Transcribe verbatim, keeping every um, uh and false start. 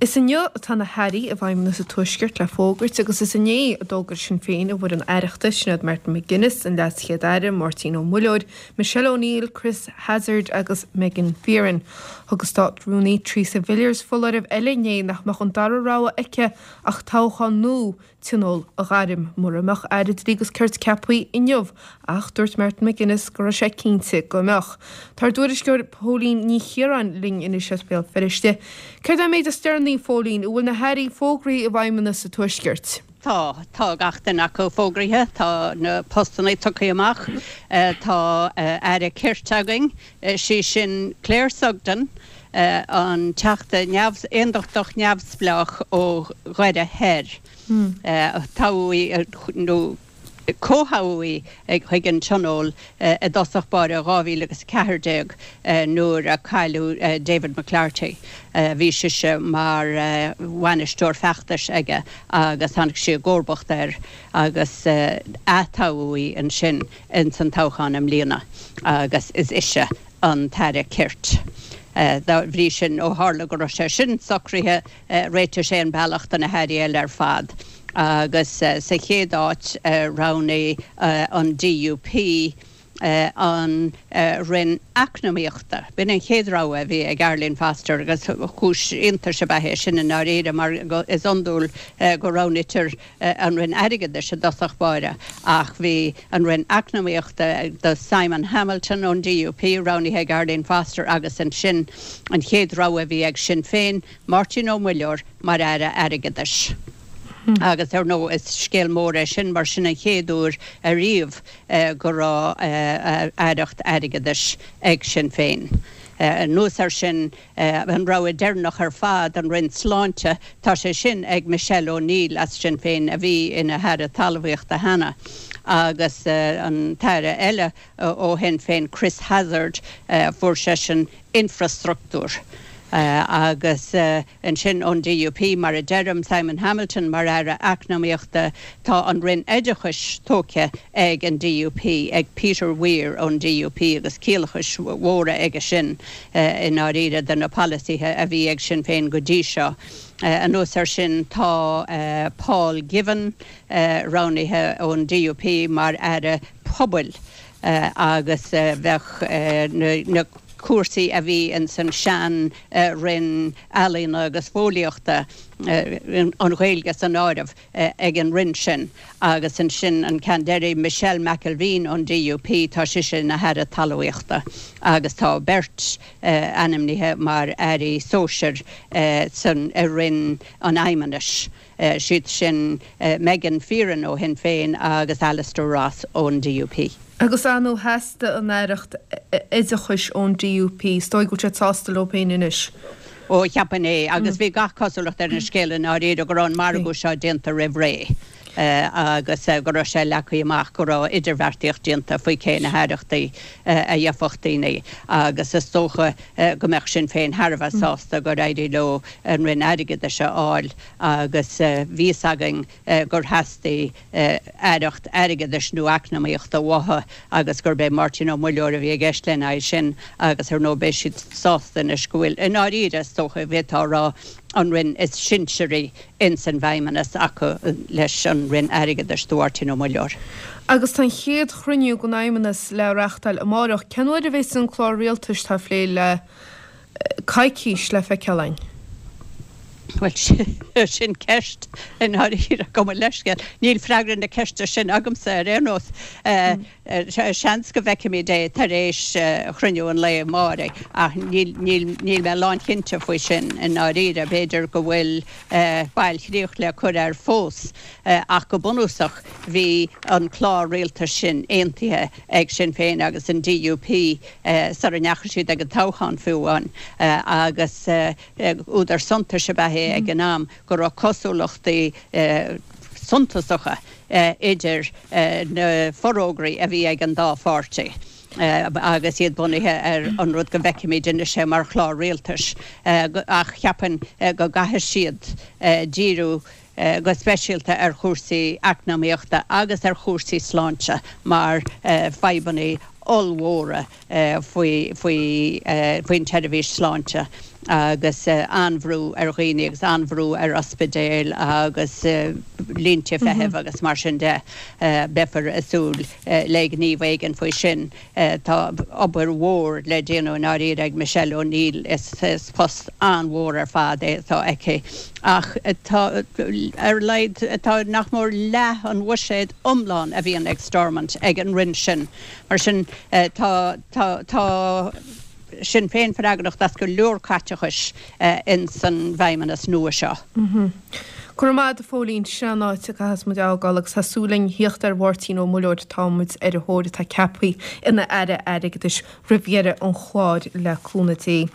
Is inniu atá na hairí i bhFeidhmeannas an Tuaiscirt le fógairt agus is inné a d'fhógair Sinn Féin a bhfoireann aireachta sin Martin McGuinness, an Leas-Chéad-Aire, Máirtín Ó Muilleoir, Michelle O'Neill, Chris Hazzard agus Megan Fearon. Thug an Státrúnaí Theresa Villiers foláireamh eile inné nach mbeadh an dara rogha aici ach toghchán nó tionól a ghairm mura mbeadh aire dlí agus cirt ceaptha inniu ach dúirt Martin McGuinness go raibh sé cinnte go mbeadh. Tá tuairisceoir Póilín Ní Chiaráin linn anois as Béal Feirste. Céard é an méid is deireanaí Phóilín an bhfuil na hairí fógraithe i bhFeidhmeannas an Tuaiscirt. Tá tá gach duine acu fógraithe, tá na postanna tugtha amach, tá aire cirt againn, sí sin Claire Sugden, an teachta neamh aondachtach neamhspleách ó Dhoire Thoir. Toghadh nó comhthoghadh í ag chuig an tionól i dtosach báire dhá mhíle agus ceathair déag nuair a cailleadh David McClarty. Bhí sise mar bhainisteoir feachtais aige agus tháinig sí i gcomharbacht air agus atoghadh í ansin ins an toghchán i mbliana agus is ise an tAire Cirt. Dá bhrí sin ó tharla go raibh sé sin socraithe réitigh sé an bealach do na hairí eile ar fad. Agus sa chéad áit roghnaigh an DUP an Roinn Eacnamaíochta. B'in an chéad rogha a bhí ag Arlene Foster agus cúis iontais ab ea é sin i ndáiríre mar is iondúil go roghnaítear an Roinn Airgeadais i dtosach báire ach bhí an Roinn Eacnamaíochta do Simon Hamilton ón DUP roghnaithe ag Arlene Foster agus ansin an chéad rogha a bhí ag Sinn Féin, Máirtín Ó Muilleoir mar aire airgeadais. Agus ar ndóigh is scéal mór é sin mar sin an chéad uair ariamh go raibh aireacht airgeadais ag Sinn Féin. Anuas air sin an rogha deireanach ar fad an Roinn Sláinte, tá sé sin ag Michelle O'Neill as Sinn Féin a bhí ina haire talmhaíochta cheana agus an t-aire eile ó Shinn Féin Chris Hazzard fuair seisean infrastruchtúr. Agus ansin ón DUP, mar a deirim, Simon Hamilton mar aire eacnamaíochta, tá an Roinn Oideachais tógtha ag an DUP, ag Peter Weir ón DUP agus ciallachais mhóra aige sin i ndáiríre de na polasaithe a bhí ag Sinn Féin go dtí seo. Anuas air sin tá Paul Givan roghnaithe ón DUP mar aire pobail agus bheadh na cúrsaí a bhí ins an sean Roinn Ealaíona agus Fóillíochta, an Ghaeilge san áireamh, ag an Roinn sin. Agus ansin an ceann deiridh, Michelle McIlveen ón DUP, tá sise ina hAire Talmhaíochta agus tá beirt ainmnithe mar Airí sóisir san i Roinn an Fheidhmeannais, siad sin Megan Fearon ó Shinn Féin agus Alistair Ross ón DUP. Agus an theastaigh an aireacht oideachais ón DUP, is dóigh go bhfuil siad sásta leo féin anois. Ó, cheapfainn é, agus bhí gach cosúlacht ar an scéal i ndáiríre go raibh an margadh seo déanta roimh ré agus go raibh sé leagtha amach go raibh idirbheartaíocht déanta faoi cé na haireachtaí a gheobhadh daoine agus is dócha go mbeadh Sinn Féin thar a bheith sásta gur éirigh leo an Roinn Airgeadais a fháil agus bhí fhios againn gur theastaigh aireacht airgeadais nó eacnamaíochta uathu agus gurb é Máirtín Ó Muilleoir a bhí i gceist lena aghaidh sin agus ar ndóigh beidh siad sásta anois go bhfuil, i ndáiríre is dócha, bhféadfá a rá, an Roinn is sinsearaí ins an bhFeidhmeannas acu leis an Roinn Airgeadais do Mháirtín Ó Muilleoir. Agus tá an chéad chruinniú den Fheidhmeannas le reáchtáil amárach. Cén uair a bheas an clár rialtais atá á phlé le coicís le feiceáil againn? Bhuel, sin ceist i ndáiríre, gabh mo leithscéal. Níl freagra na ceiste sin agamsa ar aon nós. Seans go bhfeicfimid é tar éis chruinniú an lae amáirigh ach níl níl mé lánchinnte faoi sin i ndáiríre. B'fhéidir go bhfuil bailchríoch le cur air fós ach go bunúsach bhí an clár rialtais sin aontaithe ag Sinn Féin agus an DUP sara ndeachaigh siad ag an toghchán fiú amháin agus údar suntais ab ea é ag an am go raibh cosúlachtaí suntasacha idir na forógraí a bhí ag an dá pháirtí agus iad bunaithe ar an rud go bhfeicimid anois é mar chlár rialtais ach cheapfainn go gcaithfidh siad díriú go speisialta ar chúrsaí eacnamaíochta agus ar chúrsaí sláinte mar fadhbanna ollmhóra faoi faoin tseirbhís sláinte agus an-bhrú ar dhaoine agus an-bhrú ar ospidéil agus línte feithimh agus mar sin de beifear ag súil le gníomh éigin faoi sin. Tá obair mhór le déanamh i ndáiríre ag Michelle O'Neill is is post an-mhór ar fad é atá aici ach tá ar leid tá nach mór leath an bhuiséid iomlán a bhíonn ag Stormont ag an roinn sin mar sin tá tá tá Sinn Féin freagrach as go leor caiteachais in san bhfeidhmeannas nua seo. Go raibh maith agat a Phóilín, sin an áit a gcaithfeas muid a fhágáil agus tá súil againn theacht ar Mháirtín Ó Muilleoir tá muid ar a thóir atá ceaptha ina Aire Airgeadais roimh dheireadh an chláir le cúnamh Dé.